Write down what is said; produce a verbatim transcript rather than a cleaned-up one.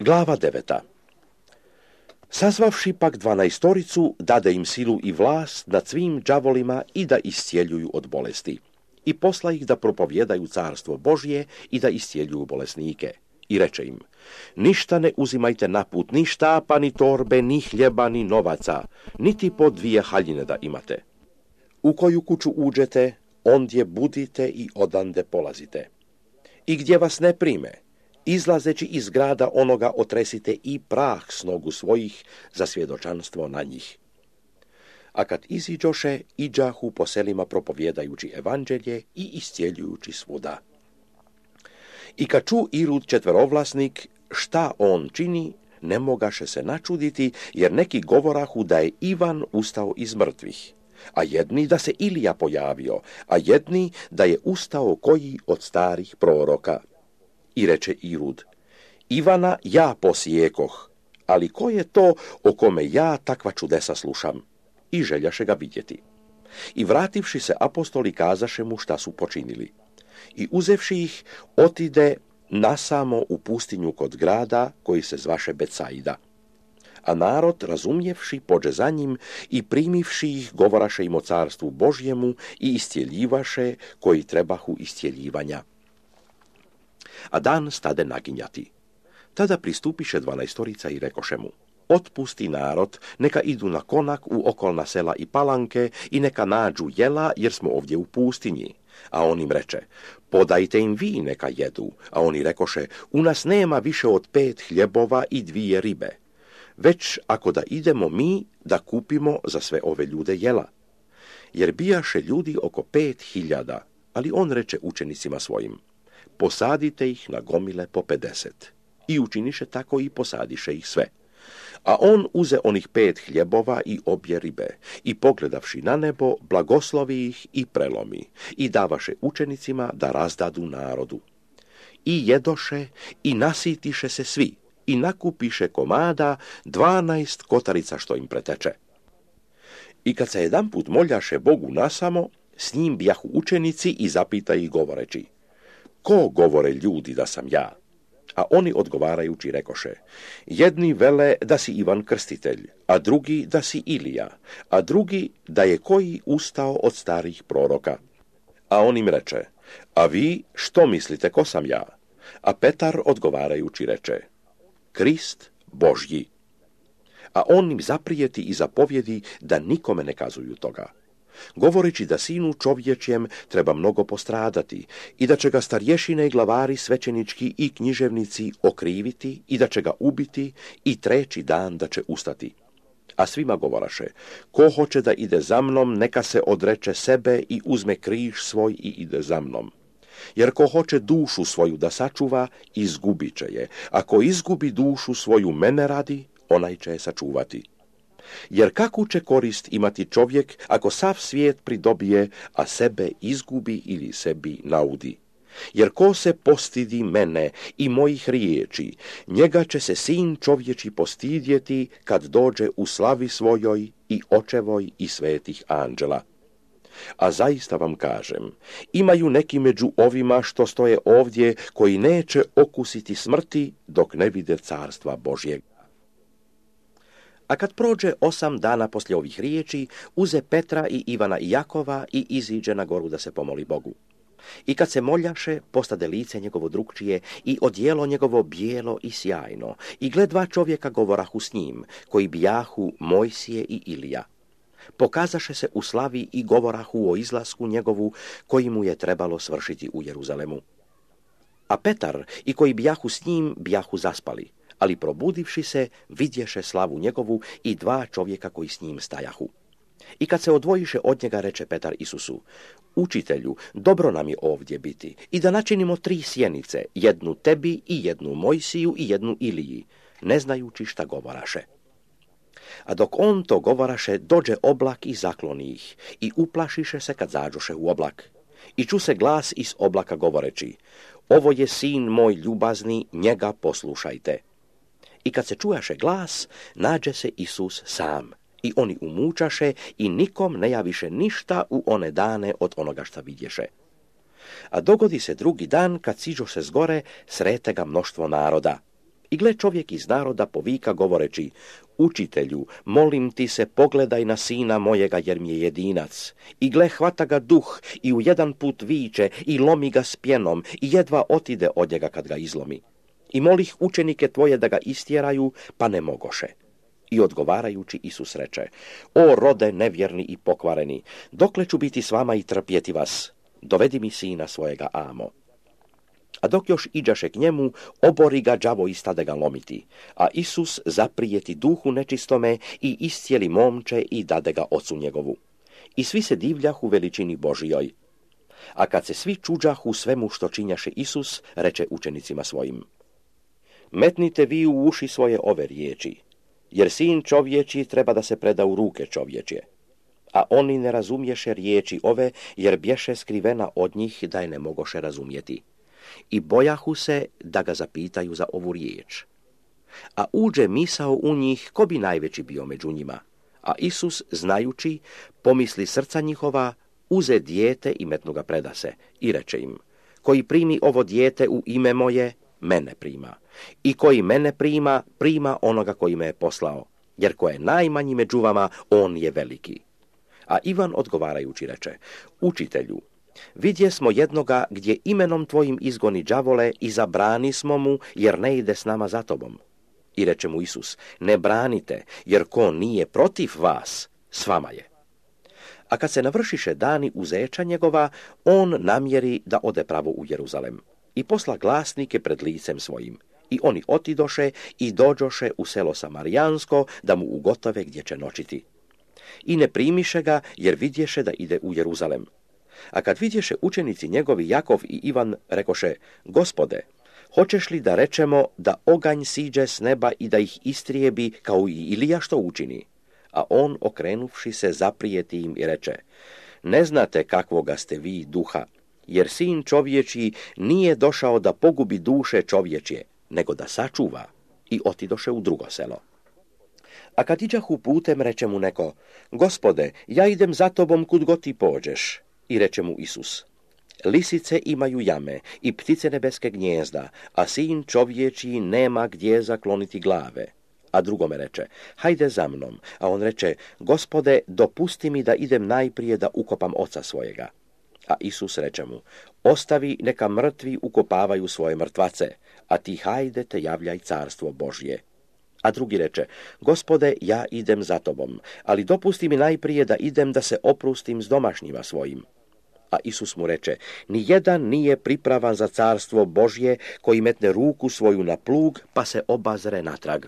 Glava deveta. Sazvavši pak dvanaestoricu, dade im silu i vlast nad svim đavolima i da iscijeljuju od bolesti. I posla ih da propovjedaju carstvo Božje i da iscijeljuju bolesnike. I reče im, ništa ne uzimajte na put, ni štapa, ni torbe, ni hljeba, ni novaca, niti po dvije haljine da imate. U koju kuću uđete, ondje budite i odande polazite. I gdje vas ne prime, izlazeći iz grada onoga otresite i prah s nogu svojih za svjedočanstvo na njih. A kad iziđoše, iđahu po selima propovjedajući evanđelje i iscijeljujući svuda. I kad ču Irud četverovlasnik šta on čini, ne mogaše se načuditi, jer neki govorahu da je Ivan ustao iz mrtvih, a jedni da se Ilija pojavio, a jedni da je ustao koji od starih proroka. I reče Irud, Ivana ja posijekoh, ali ko je to o kome ja takva čudesa slušam? I željaše ga vidjeti. I vrativši se apostoli kazaše mu šta su počinili. I uzevši ih, otide nasamo u pustinju kod grada koji se zvaše Betsaida. A narod, razumjevši, pođe za njim i primivši ih, govoraše im o carstvu Božjemu i iscijeljivaše koji trebahu iscijeljivanja. A dan stade naginjati. Tada pristupiše dvanaestorica i rekoše mu, otpusti narod, neka idu na konak u okolna sela i palanke i neka nađu jela, jer smo ovdje u pustinji. A on im reče, podajte im vi neka jedu. A oni rekoše, u nas nema više od pet hljebova i dvije ribe. Već ako da idemo mi da kupimo za sve ove ljude jela. Jer bijaše ljudi oko pet hiljada, ali on reče učenicima svojim, posadite ih na gomile po pedeset. I učiniše tako i posadiše ih sve. A on uze onih pet hljebova i obje ribe, i pogledavši na nebo, blagoslovi ih i prelomi, i davaše učenicima da razdadu narodu. I jedoše, i nasitiše se svi, i nakupiše komada dvanaest kotarica što im preteče. I kad se jedanput moljaše Bogu nasamo, s njim bijahu učenici i zapita ih govoreći, ko govore ljudi da sam ja? A oni odgovarajući rekoše, jedni vele da si Ivan Krstitelj, a drugi da si Ilija, a drugi da je koji ustao od starih proroka. A on im reče, a vi što mislite ko sam ja? A Petar odgovarajući reče, Krist Božji. A on im zaprijeti i zapovjedi da nikome ne kazuju toga, govoreći da sinu čovječjem treba mnogo postradati i da će ga starješine i glavari svećenički i književnici okriviti i da će ga ubiti i treći dan da će ustati. A svima govoraše, ko hoće da ide za mnom, neka se odreče sebe i uzme križ svoj i ide za mnom. Jer ko hoće dušu svoju da sačuva, izgubit će je. Ako izgubi dušu svoju mene radi, onaj će je sačuvati. Jer kakvu će korist imati čovjek ako sav svijet pridobije, a sebe izgubi ili sebi naudi? Jer ko se postidi mene i mojih riječi, njega će se sin čovječi postidjeti kad dođe u slavi svojoj i očevoj i svetih anđela. A zaista vam kažem, imaju neki među ovima što stoje ovdje koji neće okusiti smrti dok ne vide carstva Božjeg. A kad prođe osam dana poslije ovih riječi, uze Petra i Ivana i Jakova i iziđe na goru da se pomoli Bogu. I kad se moljaše, postade lice njegovo drukčije i odjelo njegovo bijelo i sjajno. I gle dva čovjeka govorahu s njim, koji bijahu Mojsije i Ilija. Pokazaše se u slavi i govorahu o izlasku njegovu, koji mu je trebalo svršiti u Jeruzalemu. A Petar i koji bijahu s njim, bijahu zaspali. Ali probudivši se, vidješe slavu njegovu i dva čovjeka koji s njim stajahu. I kad se odvojiše od njega, reče Petar Isusu, učitelju, dobro nam je ovdje biti i da načinimo tri sjenice, jednu tebi i jednu Mojsiju i jednu Iliji, ne znajući šta govoraše. A dok on to govoraše, dođe oblak i zakloni ih i uplašiše se kad zađoše u oblak. I ču se glas iz oblaka govoreći, ovo je sin moj ljubazni, njega poslušajte. I kad se čujaše glas, nađe se Isus sam. I oni umučaše i nikom ne javiše ništa u one dane od onoga šta vidješe. A dogodi se drugi dan, kad siđoše s gore, srete ga mnoštvo naroda. I gle, čovjek iz naroda povika govoreći: Učitelju, molim ti se, pogledaj na sina mojega, jer mi je jedinac. I gle, hvata ga duh i u jedan put viče i lomi ga s pjenom i jedva otide od njega kad ga izlomi. I molih učenike tvoje da ga istjeraju, pa ne mogoše. I odgovarajući Isus reče: O rode nevjerni i pokvareni, dokle ću biti s vama i trpjeti vas? Dovedi mi sina svojega amo. A dok još iđaše k njemu, obori ga đavo i stade ga lomiti. A Isus zaprijeti duhu nečistome i iscijeli momče i dade ga ocu njegovu. I svi se divljahu veličini Božijoj. A kad se svi čuđahu svemu što činjaše Isus, reče učenicima svojim: Metnite vi u uši svoje ove riječi, jer sin čovječji treba da se preda u ruke čovječje. A oni ne razumješe riječi ove, jer bješe skrivena od njih da je ne mogoše razumjeti. I bojahu se da ga zapitaju za ovu riječ. A uđe misao u njih, ko bi najveći bio među njima. A Isus, znajući, pomisli srca njihova, uze dijete i metnu ga predase. I reče im: Koji primi ovo dijete u ime moje, mene prima. I koji mene prima, prima onoga koji me je poslao. Jer ko je najmanji među vama, on je veliki. A Ivan odgovarajući reče: Učitelju, vidje smo jednoga gdje imenom tvojim izgoni đavole i zabrani smo mu, jer ne ide s nama za tobom. I reče mu Isus: Ne branite, jer ko nije protiv vas, s vama je. A kad se navršiše dani uzeća njegova, on namjeri da ode pravo u Jeruzalem. I posla glasnike pred licem svojim. I oni otidoše i dođoše u selo Samarijansko, da mu ugotove gdje će noćiti. I ne primiše ga, jer vidješe da ide u Jeruzalem. A kad vidješe učenici njegovi Jakov i Ivan, rekoše: Gospode, hoćeš li da rečemo da oganj siđe s neba i da ih istrijebi kao i Ilija što učini? A on, okrenuvši se, zaprijeti im i reče: Ne znate kakvoga ste vi duha, jer sin čovječji nije došao da pogubi duše čovječje, nego da sačuva. I otidoše u drugo selo. A kad iđahu putem, reče mu neko: Gospode, ja idem za tobom kud god ti pođeš. I reče mu Isus: Lisice imaju jame i ptice nebeske gnjezda, a sin čovječji nema gdje zakloniti glave. A drugome reče: Hajde za mnom. A on reče: Gospode, dopusti mi da idem najprije da ukopam oca svojega. A Isus reče mu: Ostavi, neka mrtvi ukopavaju svoje mrtvace, a ti hajde te javljaj carstvo Božje. A drugi reče: Gospode, ja idem za tobom, ali dopusti mi najprije da idem da se oprustim s domašnjima svojim. A Isus mu reče: Nijedan nije pripravan za carstvo Božje koji metne ruku svoju na plug pa se obazre natrag.